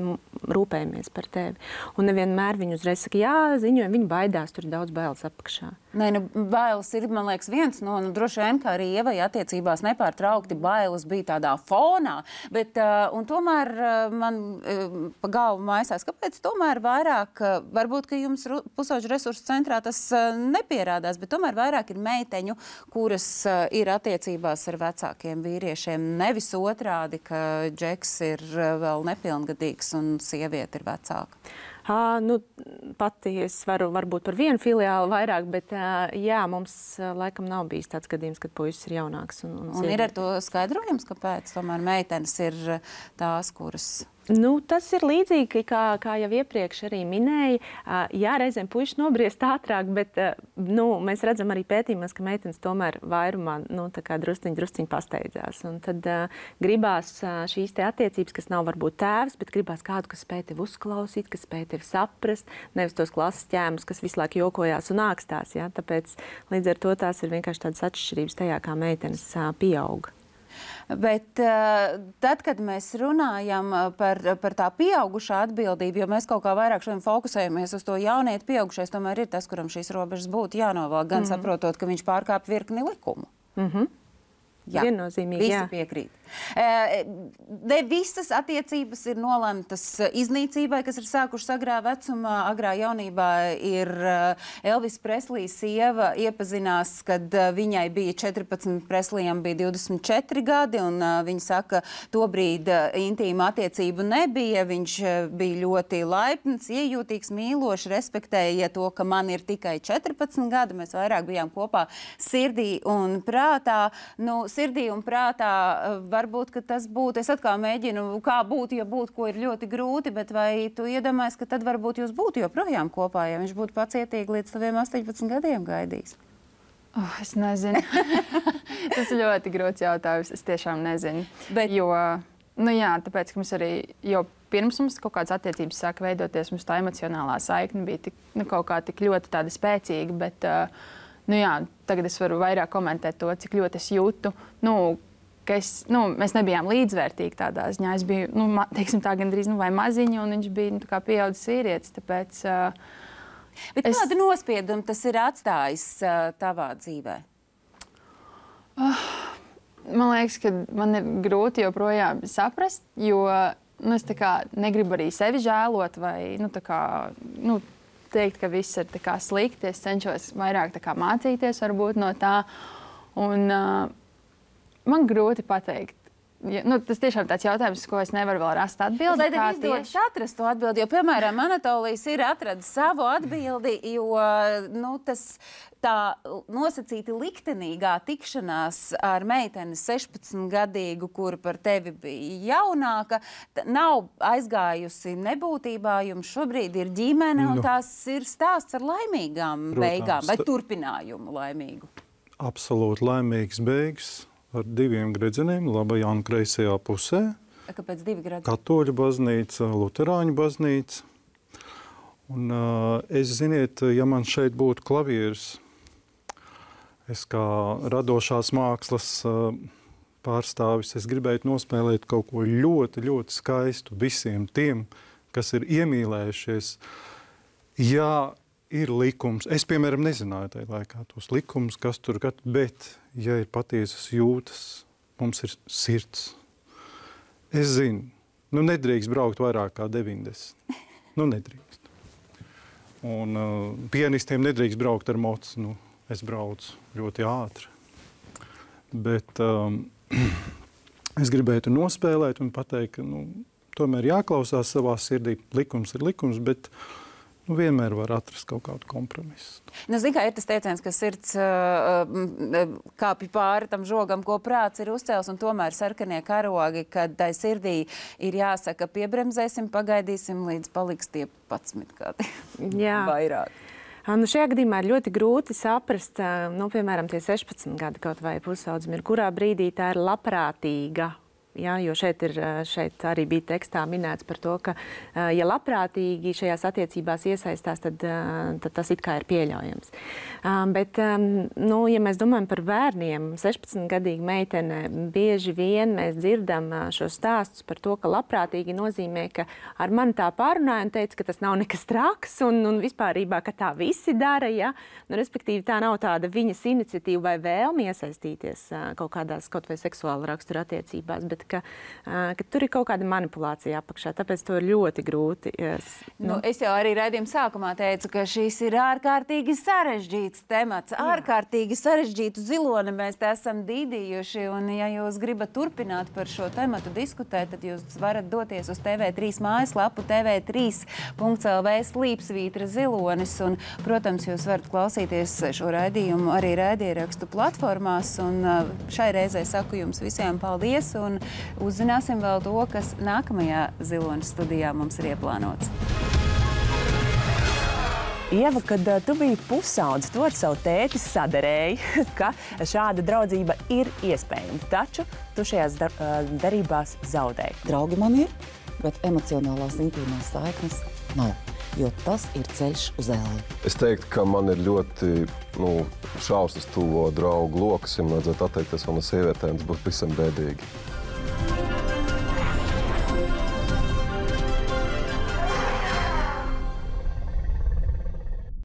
[SPEAKER 5] rūpējamies par tevi. Un nevienmēr viņi uzreiz saka, jā, ziņojam, viņi baidās, tur ir daudz bailes apakšā.
[SPEAKER 1] Nē, nu, bailes ir, man liekas, viens no, nu, droši vien, kā arī Ievai attiecībās nepārtraukti bailes bija tādā fonā, bet, uh, un tomēr uh, man uh, pa galvu maisās, kāpēc tomēr vairāk, uh, varbūt, ka jums pusauģu resursu centrā tas uh, nepierādās, bet tomēr vairāk ir meiteņu, kuras uh, ir attiecībās ar vecākiem vīriešiem, nevis otrādi, ka džeks ir uh, vēl nepilngadīgs un sieviete ir vecāka.
[SPEAKER 5] Uh, nu, pati es varu varbūt par vienu filiāli vairāk, bet uh, jā, mums uh, laikam nav bijis tāds gadījums, kad puisis ir jaunāks. Un, un,
[SPEAKER 1] un ir ar to skaidrojums, kāpēc tomēr meitenes ir tās, kuras...
[SPEAKER 5] Nu, tas ir līdzīgi, kā, kā jau iepriekš arī minēja. Jā, reizēm puiši nobriest ātrāk, bet nu, mēs redzam arī pētījumos, ka meitenes tomēr vairumā nu, drusciņi, drusciņi pasteidzās. Un tad uh, gribās uh, šīs te attiecības, kas nav varbūt tēvs, bet gribās kādu, kas spēj tevi uzklausīt, kas spēj tevi saprast, nevis tos klases ķēmus, kas visu laiku jokojās un ākstās. Ja? Tāpēc līdz ar to tās ir vienkārši tādas atšķirības tajā, kā meitenes uh, pieauga.
[SPEAKER 1] Bet uh, tad, kad mēs runājam par, par tā pieaugušā atbildību, jo mēs kaut kā vairāk šodien fokusējamies uz to jaunieti, pieaugušais tomēr ir tas, kuram šīs robežas būtu jānovelk, gan mm-hmm. saprotot, ka viņš pārkāp virkni likumu.
[SPEAKER 5] Mm-hmm.
[SPEAKER 1] Jā,
[SPEAKER 5] viennozīmīgi.
[SPEAKER 1] Visi
[SPEAKER 5] Jā.
[SPEAKER 1] piekrīt. Ne visas attiecības ir nolemtas iznīcībai, kas ir sākušas agrā vecumā. Agrā jaunībā ir Elvis Preslija sieva iepazinās, kad viņai bija četrpadsmit, Preslijam bija divdesmit četri gadi, un viņa saka, tobrīd intīma attiecību nebija. Viņš bija ļoti laipns, iejūtīgs, mīlošs, respektēja to, ka man ir tikai četrpadsmit gadi. Mēs vairāk bijām kopā sirdī un prātā. Nu, sirdī un prātā varbūt, ka tas būtu, es atkal mēģinu, kā būtu, ja būtu, ko ir ļoti grūti, bet vai tu iedomājies, ka tad varbūt jūs būtu joprojām kopā, ja viņš būtu pacietīgi līdz taviem astoņpadsmit gadiem gaidījis?
[SPEAKER 3] Oh, es nezinu. Tas ir ļoti grūts jautājums, es tiešām nezinu.
[SPEAKER 1] Bet...
[SPEAKER 3] Jo, nu jā, tāpēc, ka mums arī jau pirms mums kaut kādas attiecības sāka veidoties, mums tā emocionālā saikne bija tik, nu, kaut kā tik ļoti tāda spēcīga, bet, nu jā, tagad es varu vairāk komentēt to, cik ļoti es jūtu, nu, ka es, nu, mēs nebijām līdzvērtīgi tādā ziņā. Es biju, nu, ma, teiksim tā, gandrīz, nu, vai maziņa, un viņš bija, nu, tā kā pieaudzis vīrietis, tāpēc... Uh,
[SPEAKER 1] Bet
[SPEAKER 3] es...
[SPEAKER 1] kādu nospiedumu tas ir atstājis uh, tavā dzīvē?
[SPEAKER 3] Uh, man liekas, ka man ir grūti joprojām saprast, jo, nu, es tā kā negribu arī sevi žēlot vai, nu, tā kā, nu, teikt, ka viss ir tā kā slikti. Es cenšos vairāk tā kā mācīties varbūt no tā, un... Uh, Man grūti pateikt. Ja, nu, tas tiešām tāds jautājums, ko es nevaru vēl rast atbildi.
[SPEAKER 1] Lai tev izdodas atrast to atbildi, jo, piemēram, Anatolijs ir atradis savu atbildi, jo nu, tas tā nosacīti liktenīgā tikšanās ar meiteni sešpadsmitgadīgu, kura par tevi bija jaunāka, nav aizgājusi nebūtībā, jums šobrīd ir ģimene, un
[SPEAKER 4] Nu.
[SPEAKER 1] tās ir stāsts ar laimīgām
[SPEAKER 4] Protams.
[SPEAKER 1] beigām, vai turpinājumu laimīgu.
[SPEAKER 4] Absolūti laimīgs beigas. Ar diviem gredzeniem, labajā un kreisajā pusē.
[SPEAKER 1] Kāpēc divi gradi?
[SPEAKER 4] Katoļu baznīca, luterāņu baznīca. Un, uh, es, ziniet, ja man šeit būtu klavieris, es kā radošās mākslas uh, pārstāvis, es gribētu nospēlēt kaut ko ļoti, ļoti skaistu visiem tiem, kas ir iemīlējušies. Jā, ir likums. Es, piemēram, nezināju tajā laikā tos likumus, kas tur gat, bet, ja ir patiesas jūtas, mums ir sirds. Es zinu, nu nedrīkst braukt vairāk kā deviņdesmit. Nu nedrīkst. Un uh, pianistiem nedrīkst braukt ar mocu. Nu, es braucu ļoti ātri. Bet um, es gribētu nospēlēt un pateikt, ka nu, tomēr jāklausās savā sirdī. Likums ir likums, bet nu, vienmēr var atrast kaut kādu kompromisu.
[SPEAKER 1] Nu, zin, kā ir tas teiciens, ka sirds uh, kāpj pāri tam žogam, ko prāts ir uzcēls, un tomēr sarkanie karogi, kad tai sirdī ir jāsaka, piebremzēsim, pagaidīsim, līdz paliks tie padsmit gadi.
[SPEAKER 5] Jā.
[SPEAKER 1] Vairāk.
[SPEAKER 5] Nu, šajā gadījumā ir ļoti grūti saprast, nu, piemēram, tie sešpadsmit gadi kaut vai pusaudzim ir, kurā brīdī tā ir labprātīga. Jā, jo šeit, ir, šeit arī bija tekstā minēts par to, ka, ja labprātīgi šajās attiecībās iesaistās, tad, tad tas it kā ir pieļaujams. Bet, nu, ja mēs domājam par bērniem, sešpadsmitgadīga meitene, bieži vien mēs dzirdam šos stāstus par to, ka labprātīgi nozīmē, ka ar mani tā pārunāja un teica, ka tas nav nekas traks un, un vispārībā, ka tā visi dara. Ja? Nu, respektīvi, tā nav tāda viņas iniciatīva vai vēlme iesaistīties kaut kādās kaut vai seksuāla rakstura attiecībās, bet ka, ka tur ir kaut kāda manipulācija apakšā, tāpēc to ir ļoti grūti. Es,
[SPEAKER 1] nu. Nu, es jau arī raidījuma sākumā teicu, ka šis ir ārkārtīgi sarežģīts temats, Jā. ārkārtīgi sarežģītu ziloni mēs te esam dīdījuši, un ja jūs gribat turpināt par šo tematu diskutēt, tad jūs varat doties uz T V trīs mājaslapu T V trīs punkts L V slīpsvītra zilonis, un, protams, jūs varat klausīties šo raidījumu arī raidierakstu platformās, un šai reizei saku jums visiem paldies, un uzzināsim vēl to, kas nākamajā Ziloņa studijā mums ir ieplānots.
[SPEAKER 7] Ieva, kad uh, tu biji pusaudzis, tu ar savu tēti sadarēji, ka šāda draudzība ir iespējama, taču tu šajās dar uh, darībās zaudēji.
[SPEAKER 8] Draugi man ir, bet emocionālās intīmās saiknes nav, jo tas ir ceļš uz elli.
[SPEAKER 9] Es teiktu, ka man ir ļoti nu, šausmas tuvo draugu lokas, ja man vajadzētu atteikties no sievietēm, tas būtu visam bēdīgi.